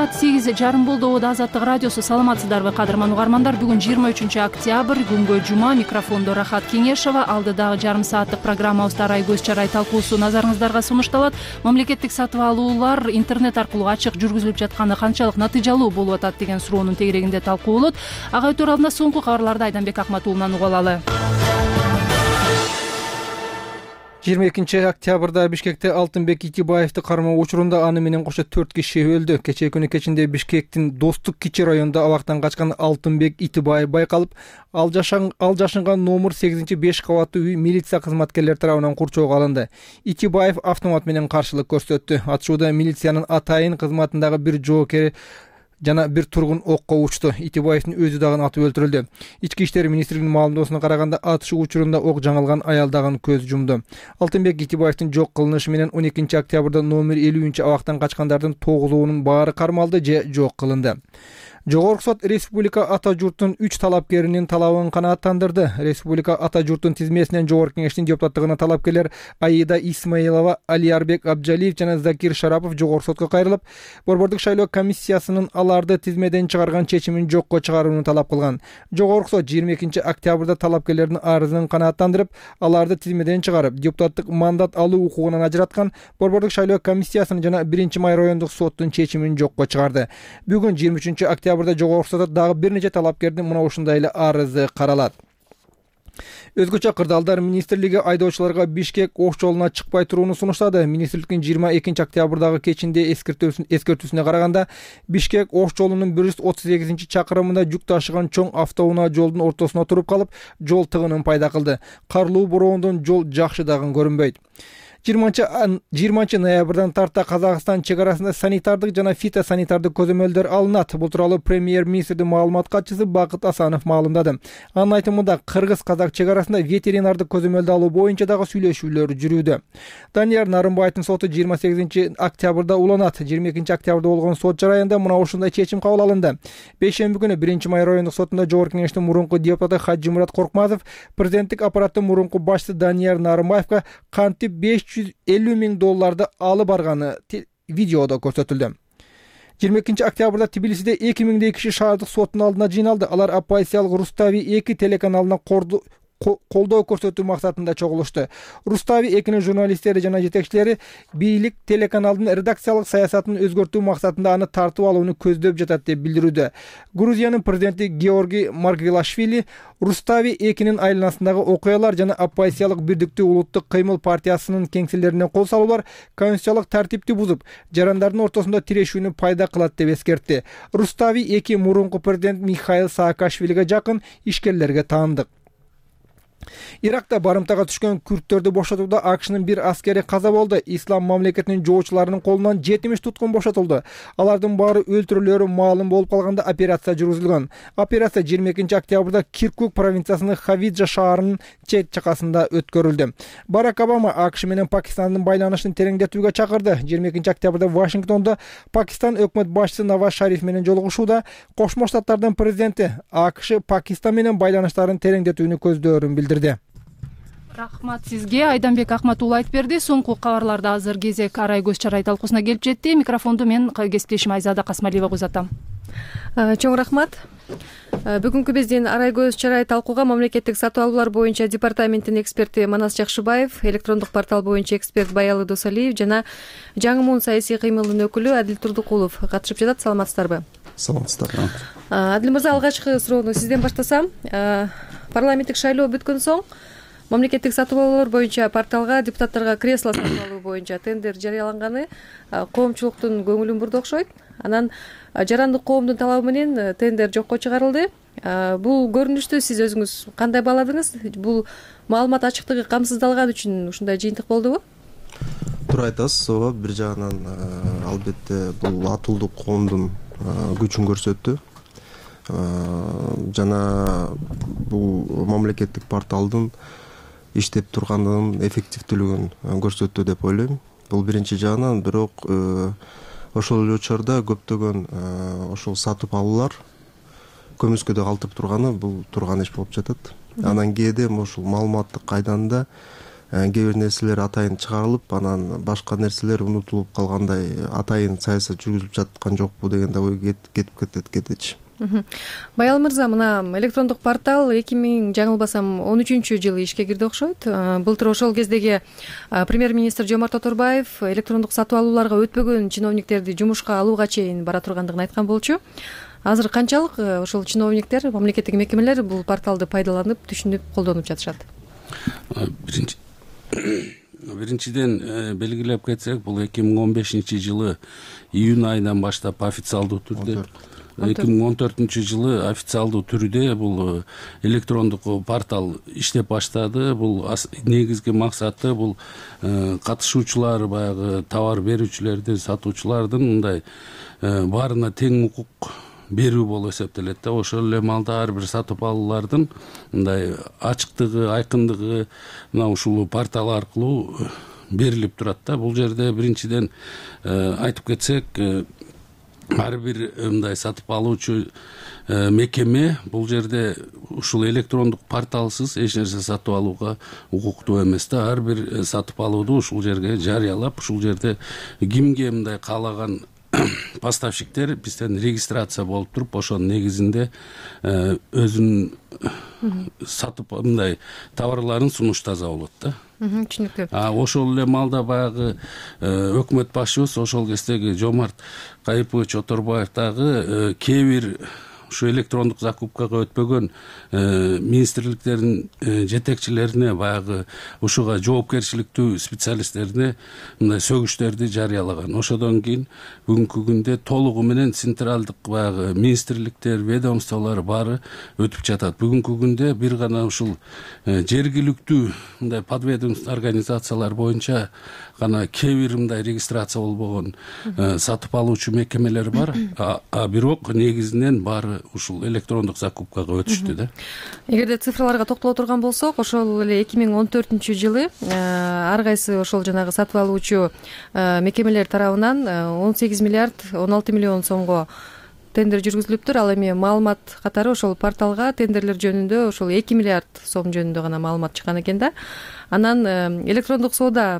Саат 8:30 болду. Азаттык радиосу. Саламатсыздарбы кадырман угармандар? Бүгүн 23 октябрь, күнгө жума. Микрофондо Рахат Кеңешова. Алдыдагы жарым сааттык программабызда Арай көз чарай талкуусу назарыңыздарга сунушталат. Мамлекеттик сатып алуулар интернет аркылуу ачык жүргүзүлүп жатканы канчалык натыйжалуу болуп атат деген суроонун тегерегинде талкуулот. Ага өтөр алдында соңку кабарларды Айданбек Акматуулунан угуп алалы. 22 октябрда Бишкекте Алтынбек Итибаевди кармоо учурунда аны менен кошо 4 киши өлдү. Кечээ күнү кечинде Бишкектин Достук кичи районунда абактан качкан Алтынбек Итибаев байкалып, ал жашынган номер 8-5 кабаттуу үй милиция кызматкерлери тарабынан курчоого алынды. Итибаев автомат менен каршылык көрсөттү. Атышууда милициянын атайын кызматындагы бир жоокери жана бир тургун окко учту. Итибаевдин өзү дагы атып өлтүрүлдү. Ички иштер министрлигинин маалымдоосуна караганда атышуу учурунда ок жаңылган аял дагы көз жумду. Алтынбек Итибаевдин жок кылынышы менен 12 октябрда номер 50 абактан качкандардын 9-унун баары кармалды же жок кылынды. Жогорку сот Республика ата журтунун 3 талапкеринин талабын канааттандырды. Республика ата журтунун тизмесинен Жогорку кеңештин депутаттыгына талапкерлер Аида Исмаилова, Алиарбек Абджалиев жана Закир Шарапов жогорку сотко кайрылып, Борбордук шайлоо комиссиясынын аларды тизмеден чыгарган чечимин жокко чыгарууну талап кылган. Жогорку сот 22 октябрда талапкерлердин арызын канааттандырып, аларды тизмеден чыгарып, депутаттык мандат алуу укугунан ажыраткан Борбордук шайлоо комиссиясынын жана 1-май райондук соттун чечимин жокко чыгарды. Бүгүн 23 октябрда жогорку сотто дагы бир нече талапкердин мына ушундай эле арызы каралат. Өзгөчө кырдаалдар министрлиги айдоочуларга Бишкек ош жолуна чыкпай турууну сунуштады. Министрликтин 22 октябрдагы кечинде эскертүүсүнө караганда, Бишкек ош жолунун 138-чакырымында жүк ташыган чоң автоунаа жолдун ортосуна туруп калып, жол тыгынын пайда кылды. Карлуу бороондон жол жакшы дагы көрүнбөйт. 20 ноябрдан тарта Казакстан чек арасында санитардык жана фитосанитардык көзөмөлдөр алынат. Бул тууралуу премьер-министрдин маалымат катчысы Бакыт Асанов маалымдады. Анын айтымында кыргыз-казак чек арасында ветеринардык көзөмөлдү алуу боюнча дагы сүйлөшүүлөр жүрүүдө. Данияр Нарымбаевдин соту 28 октябрда уланат. 22 октябрда болгон сот жараянда мына ушундай чечим кабыл алынды. Бейшемби күнү 1-май райондук сотунда Жогорку кеңештин мурунку депутаты Хаджимурат Коркмазов президенттик аппараттын мурунку башчысы Данияр Нарымбаевга кантип $550,000 алып барганы видеодо көрсөтүлдү. 22 октябрда Тбилисиде 2000 киши шаардык соттун алдына жыйналды. Алар оппозициялык Рустави 2 телеканалына колдоо көрсөтүү максатында чогулушту. Рустави 2-нин журналисттери жана жетекчилери бийлик телеканалдын редакциялык саясатын өзгөртүү максатында аны тартып алууну көздөп жатат деп билдирүүдө. Грузиянын президенти Георгий Маргвелашвили Рустави 2-нин айланасындагы окуялар жана оппозициялык Бирдиктүү улуттук кыймыл партиясынын кеңселерине кол салуулар конституциялык тартипти бузуп, жарандардын ортосунда тирешүүнү пайда кылат деп эскертти. Рустави 2 мурунку президент Михаил Саакашвилиге жакын ишкерлерге таандык. Иракта барымтага түшкөн күрттөрдү бошотууда АКШнын бир аскери каза болду. Ислам мамлекетинин жоочуларынын колунан 70 туткун бошотулду. Алардын баары өлтүрүлөөрү маалым болуп калганда операция жүргүзүлгөн. Операция 22 октябрда Киркук провинциясынын Хавиджа шаарынын чет чакасында өткөрүлдү. Барак Обама АКШ менен Пакистандын байланышын тереңдетүүгө чакырды. 22 октябрда Вашингтондо Пакистан өкмөт башчысы Наваз Шариф менен жолугушууда Кошмо Штаттардын президенти АКШ Пакистан менен байланыштарын тереңдетүүнү көздөрүн билдирди. Рахмат сизге. Айданбек Акматуулу айтып берди. Соңку кабарларда азыр кезек Арай көз чарай талкуусуна келип жетти. Микрофонду мен кесиптешим Айзада Касмалиева узатам. Чоң рахмат. Бүгүнкү биздин Арай көз чарай талкууга мамлекеттик сатып алуулар боюнча департаменттин эксперти Манас Жакшыбаев, электрондук портал боюнча эксперт Баялы Досалиев жана Жаңы Муун саясий кыймылдын өкүлү Адил Турдукулов катышып жатат. Саламатсыздарбы? Саламатсыздар. Адил мырза, алгачкы суроону сизден баштасам. Парламенттик шайлоо бүткөн соң мамлекеттик сатып алуулар боюнча порталга депутаттарга кресло сатып алуу боюнча тендер жарыяланганы коомчулуктун көңүлүн бурду окшойт. Анан жарандык коомдун талабы менен тендер жокко чыгарылды. Бул көрүнүштү сиз өзүңүз кандай бааладыңыз? Бул маалымат ачыктыгы камсыздалган үчүн ушундай жыйынтык болдубу? Туура айтасыз. Ооба, бир жагынан албетте бул атуулдук коомдун күчүн көрсөттү. Жана бул мамлекеттик порталдын иштеп турганын эффективдүүлүгүн көрсөттү деп ойлойм. Бул биринчи жагынан, бирок ошол эле учурда көптөгөн ошол сатып алуулар көмүскөдө калтырып турганы бул турган иш болуп жатат. Анан кээде ошол маалыматтык кайданда кээ бир нерселер атайын чыгарылып, анан башка нерселер унутулуп калгандай, атайын саясат жүргүзүлүп жаткан жокпу деген да ой кетип кетечи. Баял мырза, мына электрондук портал 2000 жаңылбасам 13-жылы ишке кирди окшойт. Былтыр ошол кездеги премьер-министр Жомарт Оторбаев электрондук сатып алууларга өтпөгөн чиновниктерди жумушка алууга чейин бара тургандыгын айткан болчу. Азыр канчалык ошол чиновниктер, мамлекеттик мекемелер бул порталды пайдаланып, түшүнүп, колдонуп жатышат? Биринчиден белгилеп кетсек, бул 2015-жылы июнь айынан баштап официалдуу түрдө, 2014-жылы официалдуу түрдө бул электрондук портал иштеп баштады. Бул негизги максаты бул катышуучулар, баягы товар берүүчүлөрдүн, сатуучулардын мындай баарына тең укук берүү болуп эсептелет да. Ошол эле маалда ар бир сатып алуулардын мындай ачыктыгы, айкындыгы мына ушул портал аркылуу берилип турат да. Бул жерде биринчиден айтып кетсек, ар бир мындай сатып алуучу мекеме бул жерде ушул электрондук порталсыз эч нерсе сатып алууга укуктуу эмес да. Ар бир сатып алууду ушул жерге жарыялап, ушул жерде кимге мындай каалаган поставщиктер бизден регистрация болуп туруп, ошонун негизинде өзүнүн сатып мындай товарларын сунуштаса болот да. Түшүнүктүү. Ошол эле маалда баягы өкмөт башчыбыз ошол кездеги Жомарт Кайыпович Оторбаев дагы кээ бир ушу электрондук закупкага өтпөгөн министрликтердин жетекчилерине, баягы ушуга жоопкерчиликтүү специалисттерине мындай сөгүштөрдү жарыялаган. Ошодон кийин бүгүнкү күндө толугу менен централдык баягы министрликтер, ведомстволор баары өтүп жатат. Бүгүнкү күндө бир гана ушул жергиликтүү мындай подведомственный организациялар боюнча гана кээ бир мындай регистрация болбогон сатып алуучу мекемелер бар, а бирок негизинен баары ушул электрондук закупкага өтүштү да. Эгерде цифрларга токтоло турган болсок, ошол эле 2014-жылы ар кайсы ошол жанагы сатып алуучу мекемелер тарабынан 18 миллиард 16 миллион сомго тендер жүргүзүлүптүр. Ал эми маалымат катары ошол порталга тендерлер жөнүндө ошол 2 миллиард сом жөнүндө гана маалымат чыккан экен да. Анан электрондук соода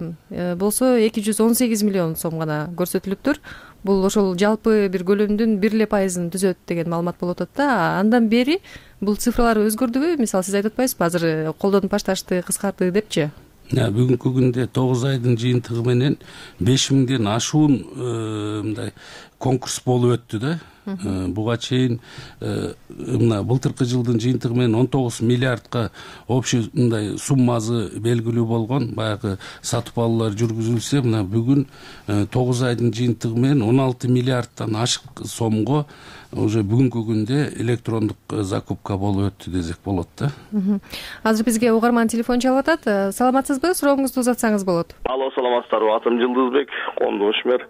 болсо 218 миллион сом гана көрсөтүлүптүр. Бул ошол жалпы бир көлөмдүн 1% түзөт деген маалымат болуп атат да. Андан бери бул цифралар өзгөрдүбү? Мисалы, сиз айтып атпайсызбы, азыр колдонуп башташты, кыскарды депчи? Бүгүнкү күндө 9 айдын жыйынтыгы менен 5000ден ашуун мындай конкурс болуп өттү да. Буга чейин мына былтыркы жылдын жыйынтыгы менен 19 миллиардка общий мындай суммасы белгилүү болгон баягы сатып алуулар жүргүзүлсө, мына бүгүн 9 айдын жыйынтыгы менен 16 миллиардтан ашык сомго уже бүгүнкү күндө электрондук закупка болуп өттү десек болот да. Азыр бизге угарман телефон чалып атат. Саламатсызбы? Сурооңузду узатсаңыз болот. Алло, саламатсыздарбы? Атым Жылдызбек, коомдош мэр.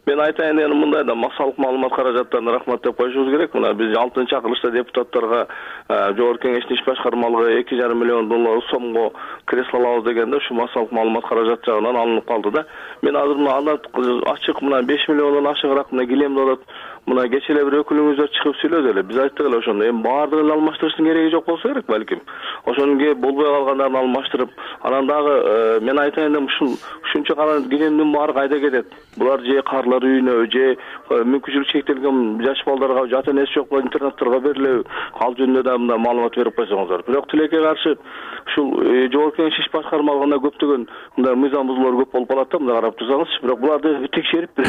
Мен айтайын дегеним мындай да, массалык маалымат каражаттарына рахмат деп коюшубуз керек. Мына биз 6-чакырылышта депутаттарга Жогорку Кеңештин иш башкармалыгы 2,5 миллион сомго кресло алабыз дегенде ушу массалык маалымат каражат жагынан алынып калды да. Мен азыр мына ачык мына 5 миллиондон ашыгыраак мына килемди атат. Мына кече эле бир өкүлүңүздөр чыгып сүйлөдү эле. Биз айттык эле ошондо. Эми баардыгын эле алмаштырыштын кереги жок болсо керек балким. Ошонун болбой калгандарын алмаштырып, анан дагы мен айтайын дегем, ушунча гана килемдин баары кайда кетет? Булар же карлар үйүнө, же мүмкүнчүлүгү чектелген жаш балдарга, ата энеси жок интернатторго берилеби? Ал жөнүндө да мындай маалымат берип койсоңуздар. Бирок тилекке каршы ушул Жогорку Кеңеш иш башкармалыгында көптөгөн мындай мыйзам бузуулар көп болуп калат да, мындай карап турсаңыз. Бирок буларды текшерип,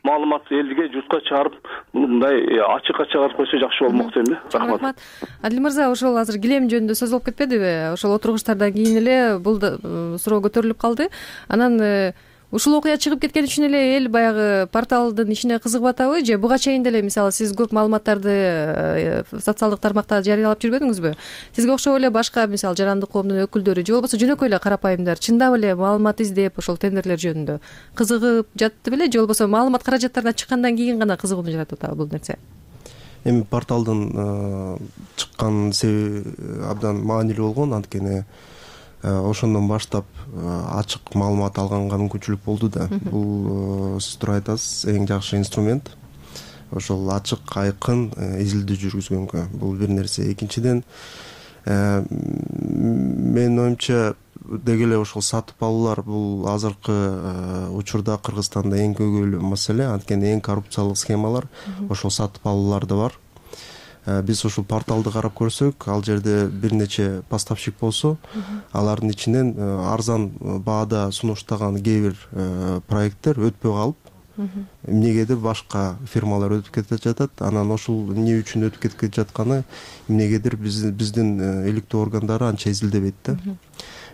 маалымат элге журтка чыгарып, мындай ачыкка чыгарып койсо жакшы болмок дейм да. Рахмат. Адил мырза, ошол азыр килем жөнүндө сөз болуп кетпедиби? Ошол отургучтардан кийин эле бул суроо көтөрүлүп калды. Анан ушул окуя чыгып кеткен үчүн эле эл баягы порталдын ишине кызыгып атабы, же буга чейин деле мисалы сиз көп маалыматтарды социалдык тармакта жарыялап жүрбөдүңүзбү? Сизге окшоп эле башка мисалы жарандык коомдун өкүлдөрү же болбосо жөнөкөй эле карапайымдар чындап эле маалымат издеп ошол тендерлер жөнүндө кызыгып жатты беле, же болбосо маалымат каражаттарына чыккандан кийин гана кызыгууну жаратып атабы бул нерсе? Эми порталдын чыккан себеби абдан маанилүү болгон, анткени ошондон баштап ачык маалымат алганга мүмкүнчүлүк болду да. Бул сиз туура айтасыз, эң жакшы инструмент. Ошол ачык, айкын изилдөө жүргүзгөнгө бул бир нерсе. Экинчиден, менин оюмча деги эле ошол сатып алуулар бул азыркы учурда Кыргызстанда эң көйгөйлүү маселе, анткени эң коррупциялык схемалар ошол сатып алууларда бар. Биз ушул порталды карап көрсөк, ал жерде бир нече поставщик болсо, алардын ичинен арзан баада сунуштаган кээ бир проекттер өтпөй калып, эмнегедир башка фирмалар өтүп кетип жатат. Анан ошол эмне үчүн өтүп кетип жатканы эмнегедир биздин иликтөө органдары анча изилдебейт да.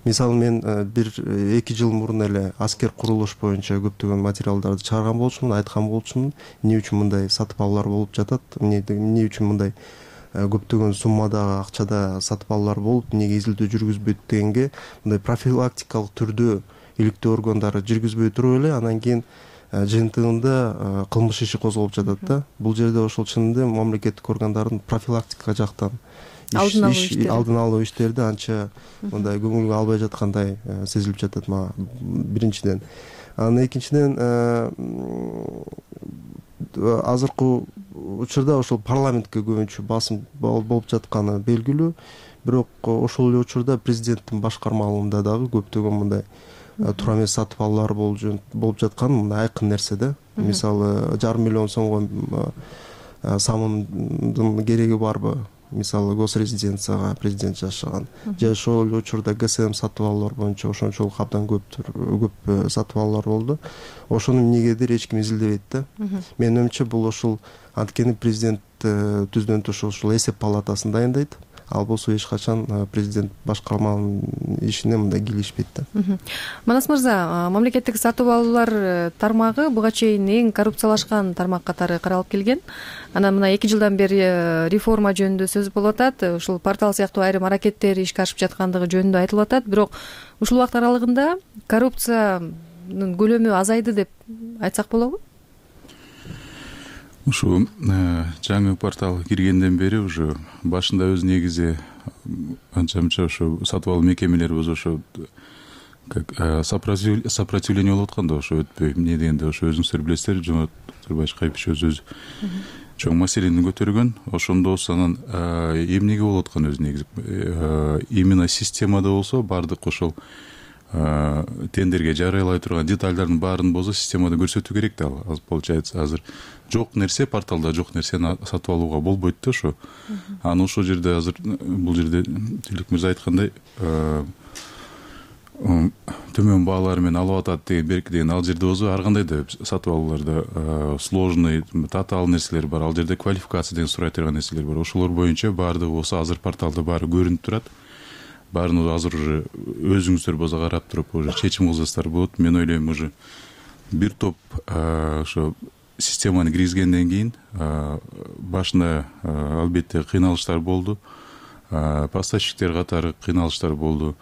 Мисалы мен 1-2 жыл мурун эле аскер курулуш боюнча көптөгөн материалдарды чыгарган болчумун, айткан болчумун, эмне үчүн мындай сатып алуулар болуп жатат, эмне үчүн мындай көптөгөн суммадагы акчада сатып алуулар болуп, эмнеге изилдөө жүргүзбөйт дегенге мындай профилактикалык түрдө иликтөө органдары жүргүзбөй туруп эле анан кийин жыйынтыгында кылмыш иши козголуп жатат да. Бул жерде ошол чынында мамлекеттик органдардын профилактика жактан алдын алуу иштерди анча мындай көңүлгө албай жаткандай сезилип жатат мага, биринчиден. Анан экинчиден азыркы учурда ошол парламентке көбүнчө басым болуп жатканы белгилүү, бирок ошол эле учурда президенттин башкармалыгында дагы көптөгөн мындай туура эмес сатып алуулар болуп жаткан мындай айкын нерсе да. Мисалы 1,5 миллион сомго самындын кереги барбы? Мисалы госрезиденцияга президент жашаган же ошол эле учурда ГСМ сатып алуулар боюнча ошончолук абдан көп сатып алуулар болду. Ошону эмнегедир эч ким изилдебейт да. Менин оюмча бул ошол анткени президент түздөн туш ошол эсеп палатасын дайындайт. Ал болсо эч качан президент башкарманын ишине мындай кийлешпейт да. Манас мырза, мамлекеттик сатып алуулар тармагы буга чейин эң коррупциялашкан тармак катары каралып келген. Анан мына 2 жылдан бери реформа жөнүндө сөз болуп атат. Ушул портал сыяктуу айрым аракеттер ишке ашып жаткандыгы жөнүндө айтылып атат. Бирок ушул убакыт аралыгында коррупциянын көлөмү азайды деп айтсак болобу? Ушу жаңы портал киргенден бери уже башында өз негизи анча-мынча ошо сатып алуу мекемелери ошо как сопротивление болуп аткан да, ошо өтпөй эмне дегенде ошо өзүңүздөр билесиздер, Жомарт Турбаевич Кайпич өзү чоң маселени көтөргөн. Ошондо анан эмнеге болуп аткан өз негизи именно системада болсо бардык ошол тендерге жарыялай турган детальдардын баарын болсо системада көрсөтүү керек да. Получается азыр жок нерсе, порталда жок нерсени сатып алууга болбойт да ошо. Аны ошол жерде азыр бул жерде Тилек мырза айткандай төмөн баалар менен алып атат деген ал жерде болсо ар кандай да сатып алууларда сложный татаал нерселер бар, ал жерде квалификация деген сурай турган нерселер бар. Ошолор боюнча баардыгы болсо азыр порталда баары көрүнүп турат. Баарын азыр уже өзүңүздөр болсо карап туруп уже чечим кылсаңыздар болот. Мен ойлойм уже бир топ ошо системаны киргизгенден кийин башында албетте кыйналыштар болду. Поставщиктер катары кыйналыштар болду.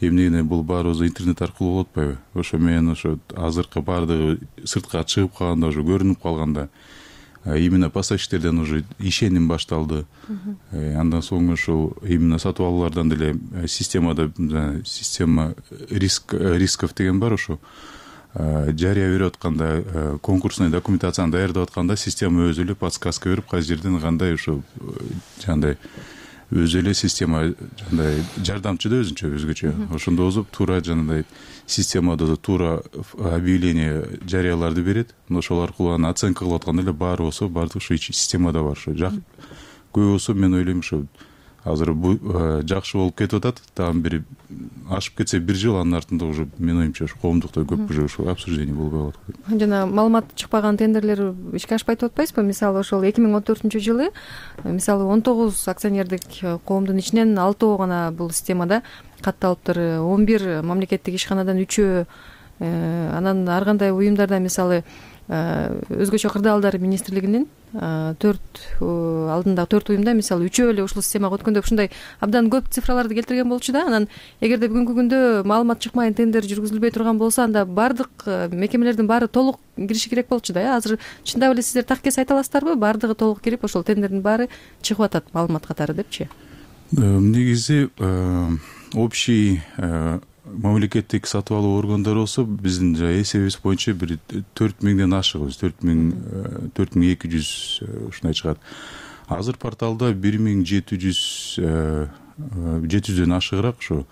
Эмнеге бул баары интернет аркылуу болуп атпайбы? Ошо менен ошо азыркы баардыгы сыртка чыгып калганда, уже көрүнүп калганда именно поставщиктерден уже ишеним башталды. Андан соң ошол именно сатып алуулардан деле системада система рисков деген бар. Ошо жарыя берип атканда, конкурсный документацияны даярдап атканда система өзү эле подсказка берип, кайсы жерден кандай ошо жандай өзү эле система жандай жардамчы да өзгөчө. Ошондо болуп туура жандай системада туура объявление жарыяларды берет. Ошол аркылуу аны оценка кылып атканда эле баары болсо баардык ошо системада бар. Ошо көбү болсо мен ойлойм ошо азыр жакшы болуп кетип атат. Дагы бир ашып кетсе 1 жыл, анын артында уже мен оюмча ошо коомдукта көп уже ошо обсуждение болбой калат. Жана маалымат чыкпаган тендерлер ишке ашпай деп атпайсызбы? Мисалы ошол 2014-жылы мисалы 19 акционердик коомдун ичинен 6 гана бул системада катталыптыр. 11 мамлекеттик ишканадан 3 анан ар кандай уюмдарда мисалы өзгөчө кырдаалдар министрлигинин 4 алдындагы 4 уюмда мисалы 3 эле ушул системага өткөн деп ушундай абдан көп цифраларды келтирген болчу да. Анан эгерде бүгүнкү күндө маалымат чыкмай тендер жүргүзүлбөй турган болсо, анда бардык мекемелердин баары толук кириши керек болчу да. Азыр чындап эле сиздер таккес айта аласыздарбы? Бардыгы толук кирип ошол тендердин баары чыгып атат маалымат катары депчи? Негизи общий мамлекеттик сатып алуу органдары болсо биздин эсебибиз боюнча бир 4000ден ашыгыбыз, 4200 ушундай чыгат. Азыр порталда 1700ден ашыгыраак ошо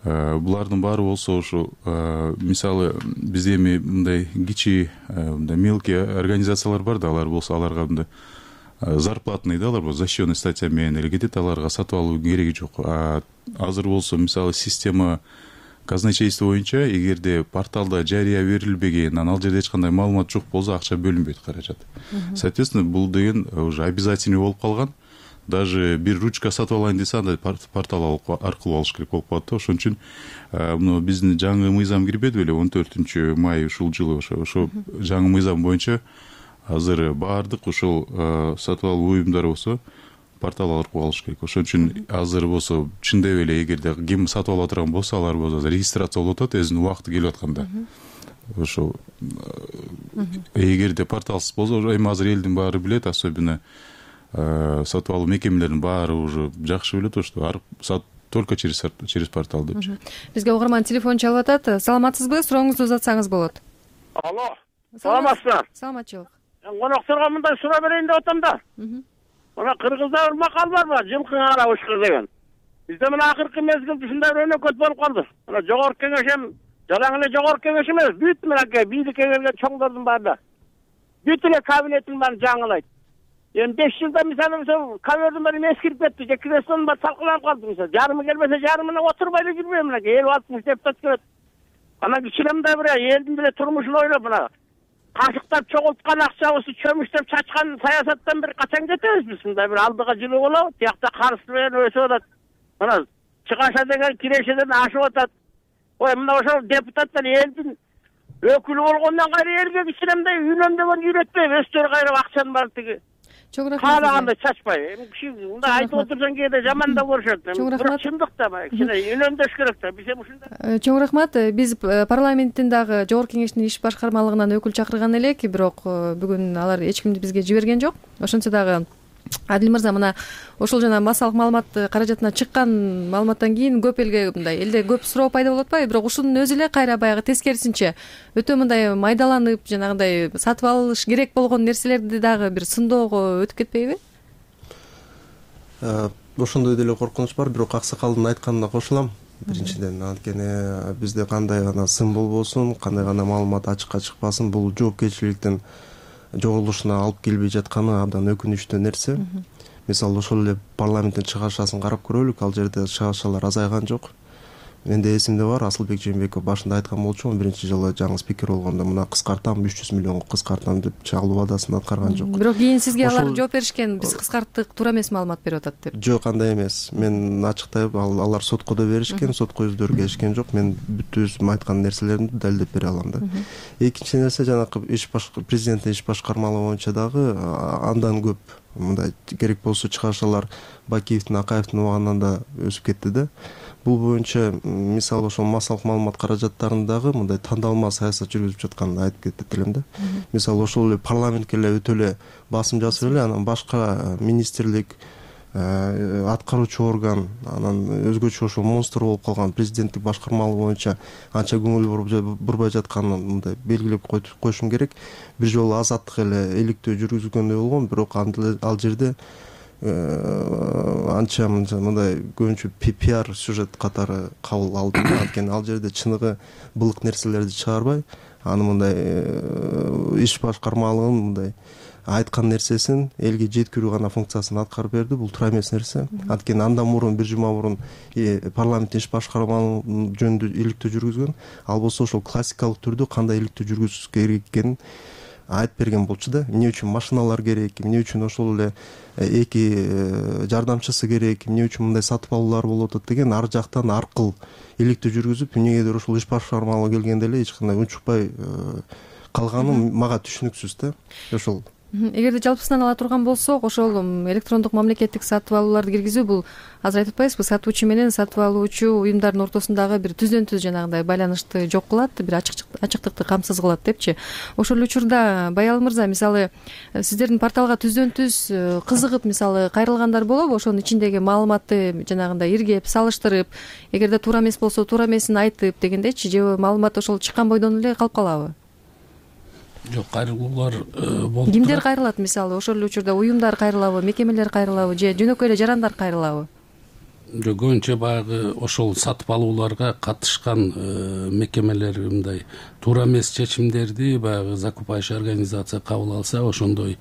Булардын баары болсо ушу мисалы бизде эми мындай кичи мындай мелкий организациялар бар да, алар болсо аларга мындай зарплатный да, алар защищенный статья менен эле кетет, аларга сатып алуу кереги жок. Азыр болсо мисалы система казначейство боюнча эгерде порталда жарыя берилбеген, ал жерде эч кандай маалымат жок болсо акча бөлүнбөйт, каражат. Соответственно, бул деген уже обязательный болуп калган. Даже бир ручка сатып алайын десе андай портал аркылуу алыш керек болуп калат да. Ошон үчүн мына биздин жаңы мыйзам кирбеди беле 14 май ушул жылы ошо жаңы мыйзам боюнча азыр баардык ушул сатып алуу уюмдары болсо портал аркылуу алыш керек. Ошон үчүн азыр болсо чындап эле эгерде ким сатып алып турган болсо, алар болсо регистрация болуп атат өзүнүн убакыты келип атканда. Ошол эгерде порталсыз болсо, эми азыр элдин баары билет, особенно сатып алуу мекемелеринин баары уже жакшы билет, что только через портал депчи. Бизге угарман телефон чалып атат. Саламатсызбы? Сурооңузду узатсаңыз болот. Алло. Саламатсызбы? Саламатчылык. Конокторго мындай суроо берейин деп атам да. Мына кыргызда бир макал барбы? Жылкың ара ушкыр деген. Бизде мына акыркы мезгилде ушундай бир өнөкөт болуп калды. Мына жогорку кеңеш эми жалаң эле жогорку кеңеш эмес, бүт мынакей бийликке келген чоңдордун баары да. Бүт эле кабинеттин баарын жаңылайт. Эми 5 жылда мисалы ковёрдун баары эскирип кетти, же креслонун баары талкаланып калды мисалы. Жарымы келбесе жарымына отурбай эле жүрбөйм мынакей 50-60 депутат келет. Анан кичинемдей бир элдин деле турмушун ойлоп мына кашыктап чогулткан акчабызды чөмүштөп чачкан саясаттан бир качан кетебиз биз? Мындай бир алдыга жылуу болобу, тиякта карызы менен өсүп атат. Мына чыгаша деген кирешеден ашып атат. Ой, мына ошол депутаттар элдин өкүлү болгондон кайра элге кичинемдей үнөмдөгөн үйрөтпөйбү, өздөрү кайра акчанын баары тиги каалагандай чачпай. Эми киши мындай айтып отурсаң кээде жамандап көрүшөт. Бирок чындык да кичине үнөмдөш керек да. Биз эми ушундай. Чоң рахмат. Биз парламенттин дагы жогорку кеңештин иш башкармалыгынан өкүл чакырган элек, бирок бүгүн алар эч кимди бизге жиберген жок. Ошентсе дагы Адил мырза, мына ошол жана массалык маалымат каражатына чыккан маалыматтан кийин көп элге мындай элде көп суроо пайда болуп атпайбы? Бирок ушунун өзү эле кайра баягы тескерисинче өтө мындай майдаланып, жанагындай сатып алыш керек болгон нерселерди дагы бир сындоого өтүп кетпейби? Ошондой деле коркунуч бар, бирок аксакалдын айтканына кошулам. Биринчиден, анткени бизде кандай гана сын болбосун, кандай гана маалымат ачыкка чыкпасын, бул жоопкерчиликтин жогулушуна алып келбей жатканы абдан өкүнүчтүү нерсе. Мисалы ошол эле парламенттин чыгашасын карап көрөлүк, ал жерде чыгашалар азайган жок. Менде эсимде бар, Асылбек Жээнбеков башында айткан болчумун, биринчи жылы жаңы спикер болгондо мына кыскартам 300 миллионго кыскартам деп чагылуу вадасын аткарган жок. Бирок кийин сизге алар жооп беришкен, биз кыскарттык, туура эмес маалымат берип атат деп. Жок, андай эмес. Мен ачыктап, алар сотко да беришкен, сотко өздөрү келишкен жок. Мен бүт өзүм айткан нерселеримди далилдеп бере алам да. Экинчи нерсе, жанагы президенттин иш башкармалыгы боюнча дагы андан көп мындай керек болсо чыгашалар Бакиевдин, Акаевдин убагынан да өсүп кетти да. Бул боюнча мисалы ошол массалык маалымат каражаттарындагы мындай тандалма саясат жүргүзүп жатканын айтып кетет элем да. Мисалы ошол эле парламентке эле өтө эле басым жасап эле, анан башка министрлик, аткаруучу орган, анан өзгөчө ошол монстр болуп калган президенттик башкармалыгы боюнча анча көңүл бурбай жатканын мындай белгилеп коюшум керек. Бир жолу азаттык эле иликтөө жүргүзгөндөй болгон, бирок ал жерде анча мындай көбүнчө пиар сюжет катары кабыл алдым. Анткени ал жерде чыныгы былык нерселерди чыгарбай, аны мындай иш башкармалыгын мындай айткан нерсесин элге жеткирүү гана функциясын аткарып берди. Бул туура эмес нерсе. Анткени андан мурун бир жума мурун парламенттин иш башкармалыгы жөнүндө иликтөө жүргүзгөн. Ал болсо ошол классикалык түрдө кандай иликтөө жүргүзүш керек экенин айтып берген болчу да. Эмне үчүн машиналар керек, эмне үчүн ошол эле эки жардамчысы керек, эмне үчүн мындай сатып алуулар болуп атат деген ар жактан аркыл иликтөө жүргүзүп, эмнегедир ошол иш башкармалыгы келгенде эле эч кандай унчукпай калганы мага түшүнүксүз да. Ошол Эгерде жалпысынан ала турган болсок, ошол электрондук мамлекеттик сатып алууларды киргизүү бул азыр айтып атпайбызбы, сатуучу менен сатып алуучу уюмдардын ортосундагы бир түздөн-түз жанагындай байланышты жок кылат, бир ачыктыкты камсыз кылат депчи. Ошол учурда Баял мырза, мисалы сиздердин порталга түздөн-түз кызыгып мисалы кайрылгандар болобу? Ошонун ичиндеги маалыматты жанагындай иргеп, салыштырып, эгерде туура эмес болсо туура эмесин айтып дегендечи, же маалымат ошол чыккан бойдон эле калып калабы? Жок, кайрылуулар болуп турат. Кимдер кайрылат мисалы? Ошол эле учурда уюмдар кайрылабы, мекемелер кайрылабы, же жөнөкөй эле жарандар кайрылабы? көбүнчө баягы ошол сатып алууларга катышкан мекемелер мындай туура эмес чечимдерди баягы закупающий организация кабыл алса ошондой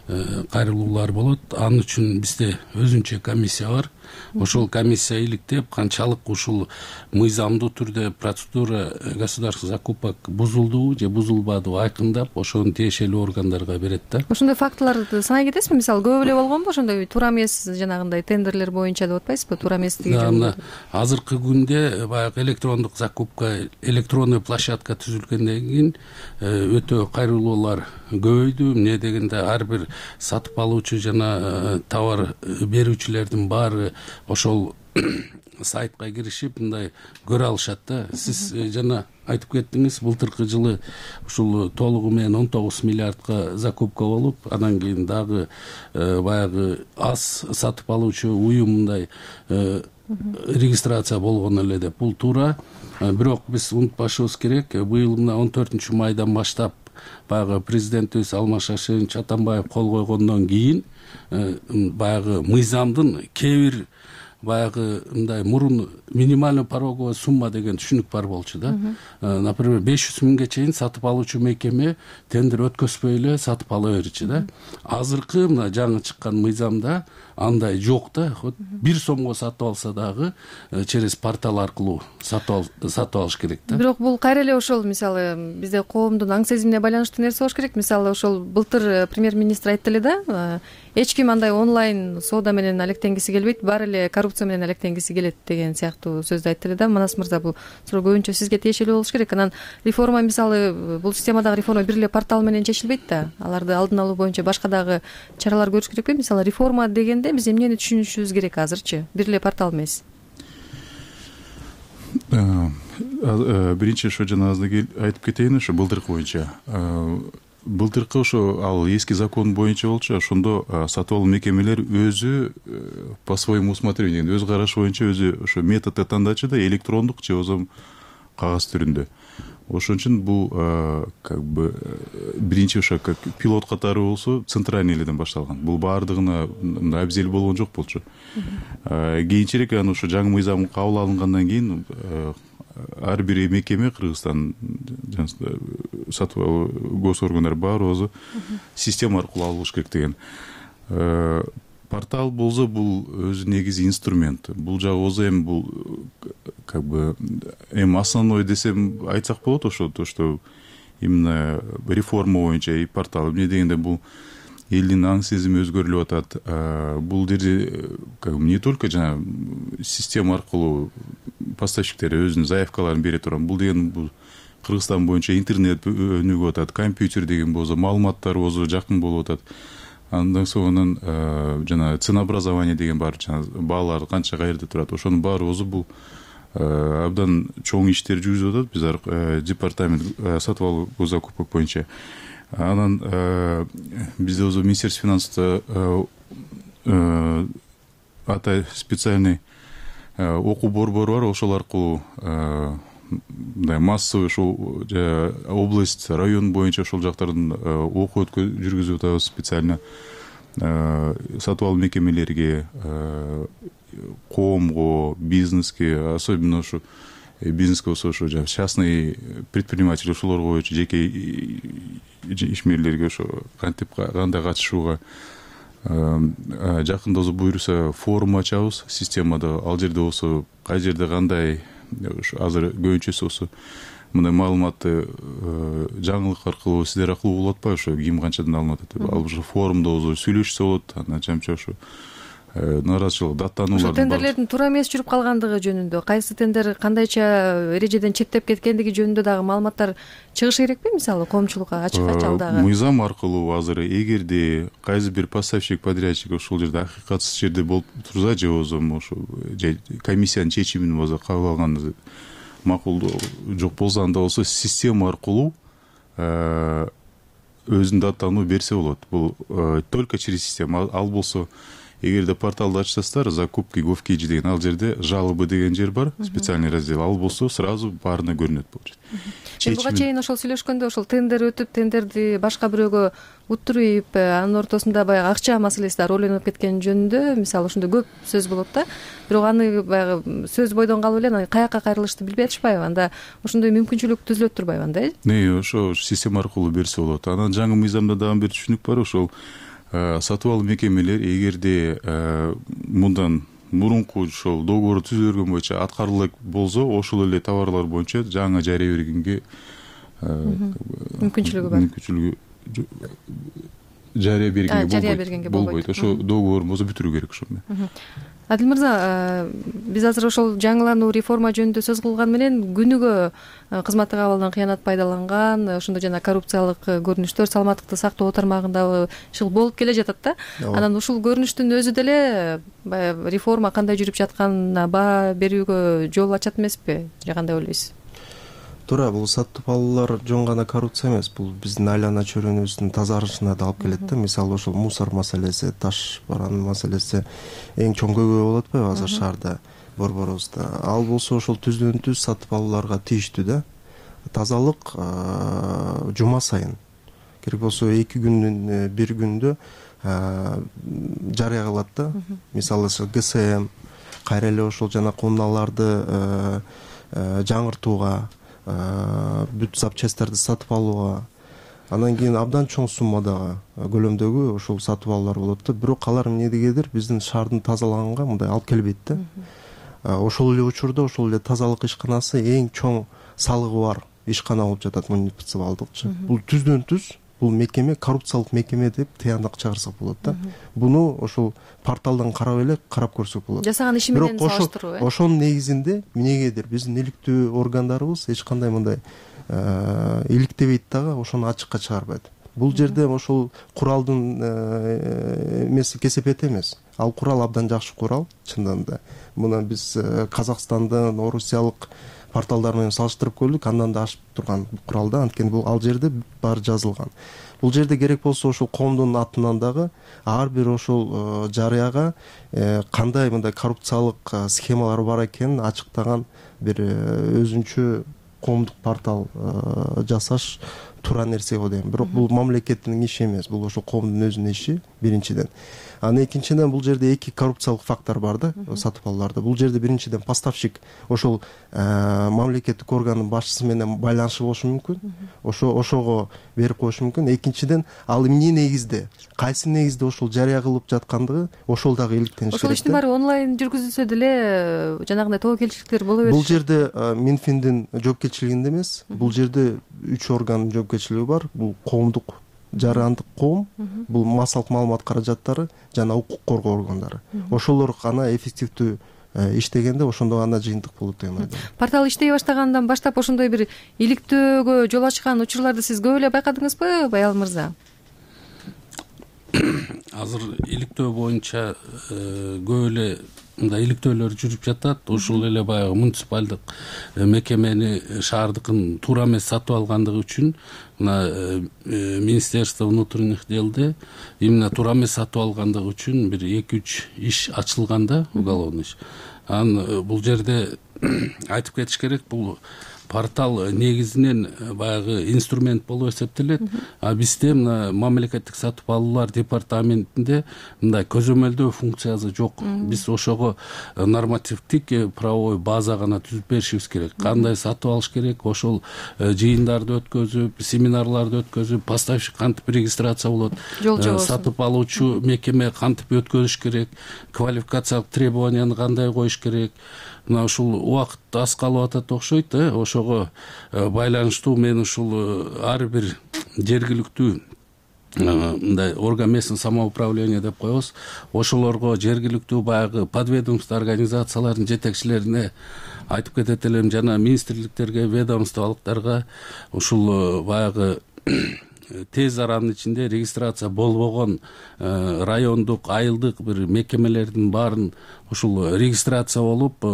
кайрылуулар болот. Анын үчүн бизде өзүнчө комиссия бар. Ошол комиссия иликтеп канчалык ушул мыйзамдуу түрдө процедура государственных закупок бузулдубу же бузулбадыбы айкындап ошону тиешелүү органдарга берет да. Ошондой фактыларды санай кетесизби? Мисалы көп эле болгонбу ошондой туура эмес жанагындай тендерлер боюнча деп атпайсызбы? Туура эместиги жөнүндө. Азыркы күндө баягы электрондук закупка, электронный площадка түзүлгөндөн кийин өтө кайрылуулар көбөйдү. Эмне дегенде ар бир сатып алуучу жана товар берүүчүлөрдүн баары ошол сайтка киришип мындай көрө алышат да. Сиз жана айтып кеттиңиз, былтыркы жылы ушул толугу менен 19 миллиардка закупка болуп, анан кийин дагы баягы аз сатып алуучу уюм мындай регистрация болгон эле деп. Бул туура. Бирок биз унутпашыбыз керек, быйыл мына 14-майдан баштап баягы президентибиз Алмаз Шаршенович Атамбаев кол койгондон кийин баягы мыйзамдын кээ бир баягы мындай мурун минимальный пороговая сумма деген түшүнүк бар болчу да. Например, 500 миңге чейин сатып алуучу мекеме тендер өткөзбөй эле сатып ала берчү да. Азыркы мына жаңы чыккан мыйзамда андай жок да. 1 сомго сатып алса дагы через портал аркылуу сатып алыш керек да. Бирок бул кайра эле ошол мисалы бизде коомдун аң сезимине байланыштуу нерсе болуш керек. Мисалы ошол былтыр премьер-министр айтты эле да, эч ким андай онлайн соода менен алектенгиси келбейт, баары эле коррупция менен алектенгиси келет деген сыяктуу сөздү айтты эле да. Манас мырза, бул суроо көбүнчө сизге тиешелүү болуш керек. Анан реформа мисалы бул системадагы реформа бир эле портал менен чечилбейт да. Аларды алдын алуу боюнча башка дагы чаралар көрүш керекпи? Мисалы реформа дегенде биз эмнени түшүнүшүбүз керек азырчы? Бир эле портал эмес. Биринчи ошо жана айтып кетейин, ошо былтыркы боюнча. Былтыркы ошо ал эски закон боюнча болчу, ошондо сатып алуу мекемелер өзү по своему усмотрению, өз карашы боюнча өзү ошо методду тандачу да, электрондук же болбосо кагаз түрүндө. Ошон үчүн бул как бы биринчи ошо как пилот катары болсо центральный эледен башталган. Бул баардыгына абзел болгон жок болчу. Кийинчерээк анан ошо жаңы мыйзам кабыл алынгандан кийин ар бир мекеме Кыргызстан сатып алуу гос органдары баары өзү система аркылуу алыш керек деген. Портал болсо бул өзү негизи инструмент. Бул жагы болсо эми бул как бы основной десем айтсак болот, ошо то, что именно реформа боюнча и портал. Эмне дегенде бул элдин аң сезими өзгөрүлүп атат. Бул жерде как бы не только жана система аркылуу поставщиктер өзүнүн заявкаларын бере турган. Бул деген бул Кыргызстан боюнча интернет өнүгүп атат, компьютер деген болсо, маалыматтар болсо жакын болуп атат. Андан соң жана ценообразование деген бар, жана баалар канча каерде турат, ошонун баары өзү бул абдан чоң иштер жүргүзүп атат биз департамент сатып алуу закупок боюнча. Анан бизде өзү Министерство финансов ата специальный окуу борбору бар, ошол аркылуу мындай массовый ошол область, район боюнча ошол жактардан окуу жүргүзүп атабыз специально сатып алуу мекемелерге, коомго, бизнеске, особенно ошо бизнеске болсо ошо частный предприниматель ошолорго боюнча жеке ишмерлерге ошо кандай катышууга жакында болсо буюрса форум ачабыз системада. Ал жерде болсо кай жерде кандай азыр көбүнчөсү болсо мындай маалыматты жаңылык аркылуу сиздер аркылуу угулуп атпайбы, ошо ким канчадан алынып атат. Ал ошо форумда болсо сүйлөшсө болот, анан чамча ошо нааразычылык даттануулар. Ошо тендерлердин туура эмес жүрүп калгандыгы жөнүндө, кайсы тендер кандайча эрежеден четтеп кеткендиги жөнүндө дагы маалыматтар чыгышы керекпи? Мисалы коомчулукка ачык дагы мыйзам аркылуу азыр эгерде кайсы бир поставщик, подрядчик ошол жерде акыйкатсыз жерде болуп турса, же болбосо ошо комиссиянын чечимин болсо кабыл алган макул жок болсо, анда болсо система аркылуу өзүнүн даттануу берсе болот. Бул только через система. Ал болсо эгерде порталды ачсаңыздар закупки Gov.kg деген ал жерде жалобы деген жер бар, специальный раздел, ал болсо сразу баарына көрүнөт болчу. Буга чейин ошол сүйлөшкөндө ошол тендер өтүп, тендерди башка бирөөгө уттуруп, анын ортосунда баягы акча маселеси да ролдонуп кеткен жөнүндө мисалы ошондо көп сөз болот да. Бирок аны баягы сөз бойдон калып эле анан каяка кайрылышты билбей атышпайбы? Анда ошондой мүмкүнчүлүк түзүлөт турбайбы анда? Ошо система аркылуу берсе болот. Анан жаңы мыйзамда дагы бир түшүнүк бар, ошол сатып алуу мекемелер эгерде мындан мурунку ошол договорду түзүлгөн боюнча аткарыла болсо, ошол эле товарлар боюнча жаңы жарыя бергенге мүмкүнчүлүгү бар. Жарыя бергенге болбойт. Ошо договорун болсо бүтүрүү керек ошо менен. Адил мырза, биз азыр ошол жаңылануу реформа жөнүндө сөз кылган менен күнүгө кызматтык абалдан кыянат пайдаланган, ошондо жана коррупциялык көрүнүштөр саламаттыкты сактоо тармагында иши болуп келе жатат да. Анан ушул көрүнүштүн өзү деле баягы реформа кандай жүрүп жатканына баа берүүгө жол ачат эмеспи? Же кандай ойлойсуз? Туура, бул сатып алуулар жөн гана коррупция эмес, бул биздин айлана чөйрөбүздүн тазарышына да алып келет да. Мисалы ошол мусор маселеси, таш баран маселеси эң чоң көйгөй болуп атпайбы азыр шаарда, борборубузда. Ал болсо ошол түздөн-түз сатып алууларга тийиштүү да. Тазалык жума сайын, керек болсо 2 күндүн бир күндө жарыя кылат да. Мисалы ГСМ кайра эле ошол жана комуналарды жаңыртууга, бүт запчасттарды сатып алууга, анан кийин абдан чоң суммадагы көлөмдөгү ошол сатып алуулар болот да. Бирок алар эмнедегедир биздин шаардын тазаланганга мындай алып келбейт да. Ошол эле учурда ошол эле тазалык ишканасы эң чоң салыгы бар ишкана болуп жатат муниципалдыкчы. Бул түздөн-түз бул мекеме коррупциялык мекеме деп тыяндык чыгарсак болот да. Буну ошол порталдан карап эле карап көрсөк болот. Жасаган иши менен салыштыруу. Ошонун негизинде эмнегедир биздин иликтүү органдарыбыз эч кандай мындай иликтебейт дагы, ошону ачыкка чыгарбайт. Бул жерде ошол куралдын эмеси кесепети эмес. Ал курал абдан жакшы курал, чындыгында да. Мына биз Казакстандын, Орусиялык порталдар менен салыштырып көрдүк, андан да ашып турган курал да, анткени бул ал жерде баары жазылган. Бул жерде керек болсо ошол коомдун атынан дагы ар бир ошол жарыяга кандай мындай коррупциялык схемалар бар экенин ачыктаган бир өзүнчө коомдук портал жасаш туура нерсе го дейм. Бирок бул мамлекеттин иши эмес, бул ошол коомдун өзүнүн иши биринчиден. Анан экинчиден бул жерде 2 коррупциялык фактор бар да сатып алууларда. Бул жерде биринчиден поставщик ошол мамлекеттик органдын башчысы менен байланышы болушу мүмкүн. Ошого берип коюшу мүмкүн. Экинчиден ал эмне негизде, кайсы негизде ошол жарыя кылып жаткандыгы ошол дагы иликтениш керек. Ошол иштин баары онлайн жүргүзүлсө деле жанагындай тобокелчиликтер боло берет. Бул жерде Минфиндин жоопкерчилигинде эмес, бул жерде 3 органдын жоопкерчилиги бар. Бул коомдук жарандык коом, бул массалык маалымат каражаттары жана укук коргоо органдары. Ошолор гана эффективдүү иштегенде ошондо гана жыйынтык болот деген ойдомун. Портал иштей баштагандан баштап ошондой бир иликтөөгө жол ачкан учурларды сиз көп эле байкадыңызбы, Баял мырза? Азыр иликтөө боюнча көп эле мындай иликтөөлөр жүрүп жатат. Ушул эле баягы муниципалдык мекемени шаардыкын туура эмес сатып алгандыгы үчүн мына Министерство внутренних делде именно туура эмес сатып алгандыгы үчүн бир 2-3 иш ачылган да, уголовный иш. Анан бул жерде айтып кетиш керек, бул портал негизинен баягы инструмент болуп эсептелет. А бизде мына мамлекеттик сатып алуулар департаментинде мындай көзөмөлдөө функциясы жок. Биз ошого нормативдик правовой база гана түзүп беришибиз керек. Кандай сатып алыш керек, ошол жыйындарды өткөзүп, семинарларды өткөзүп, поставщик кантип регистрация болот, сатып алуучу мекеме кантип өткөзүш керек, квалификациялык требованияны кандай коюш керек. Мына ушул убакыт аз калып атат окшойт, ошого байланыштуу мен ушул ар бир жергиликтүү мындай орган местного самоуправления деп коебуз. Ошолорго жергиликтүү баягы подведомство организациялардын жетекчилерине айтып кетет элем, жана министрликтерге, ведомстволуктарга ушул баягы тез аранын ичинде регистрация болбогон райондук, айылдык бир мекемелердин баарын ушул регистрация болуп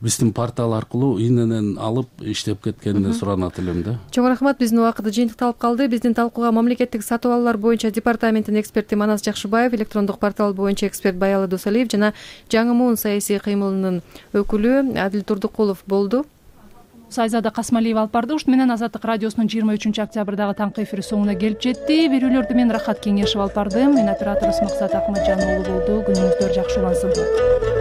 биздин портал аркылуу иненен алып иштеп кеткенине суранат элем да. Чоң рахмат. Биздин убакыт жыйынтыкталып калды. Биздин талкууга мамлекеттик сатып алуулар боюнча департаментинин эксперти Манас Жакшыбаев, электрондук портал боюнча эксперт Баялы Досалиев жана Жаңы Муун саясий кыймылынын өкүлү Адил Турдукулов болду. Айзада Касмалиева алып барды. Ушун менен Азаттык радиосунун 23-октябрдагы таңкы эфири соңуна келип жетти. Берүүлөрдү мен Рахат Кеңешев алып бардым. Мен операторубуз Максат Акматжан уулу болду. Күнүңүздөр жакшы улансын.